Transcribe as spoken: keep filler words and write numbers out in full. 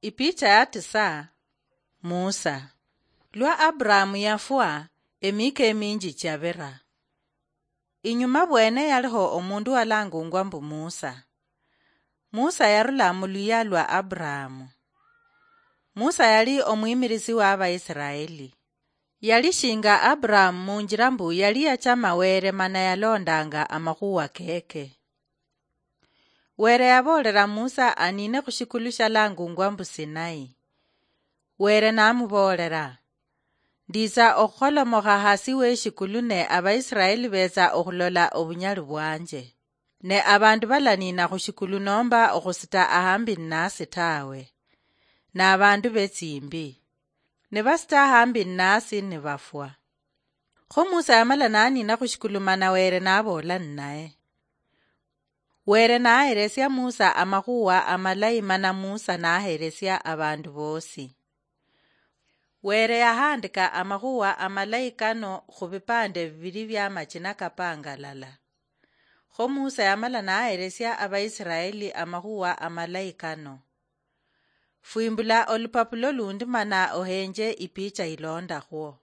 Ipicha ya tisa. Musa. Lwa Aburahamu yafwa, emika eminji chabira. Inyuma bwene yaliho omundu walangungwa mbu Musa. Musa yarula mu luya lwa Aburahamu. Musa yali omwimirisi wa Abaisiraeli. Yali shinga Aburahamu munjira mbu yali yachama Were mana yalondanga amakhuwa keke. Were yaboolera Musa anine khushikulu shalangungwa mbu Sinai. Were namuboolera, "Nditsa okhukolomokha hasi weshikulu ne Abaisiraeli betsa okhulola obunyali bwanje. Ne abandu balanina khushikulu nomba okhusita ahambi nnasi tawe. Nabandu betsimbi. Nibasita ahambi nnasi nibafwa." Kho Musa yamala nanina khushikulu mana Were naboola ninaye. Were naheresia Musa amakhuwa amalayi mana Musa naheresia abandu bosi. Were yahandika amakhuwa amalayi kano khubipande bibili bia machina kapangalala. Kho Musa yamala naheresia Abaisiraeli amakhuwa amalayi kano. Fwimbula olupapulo lundi mana ohenje ipicha ilondakhwo.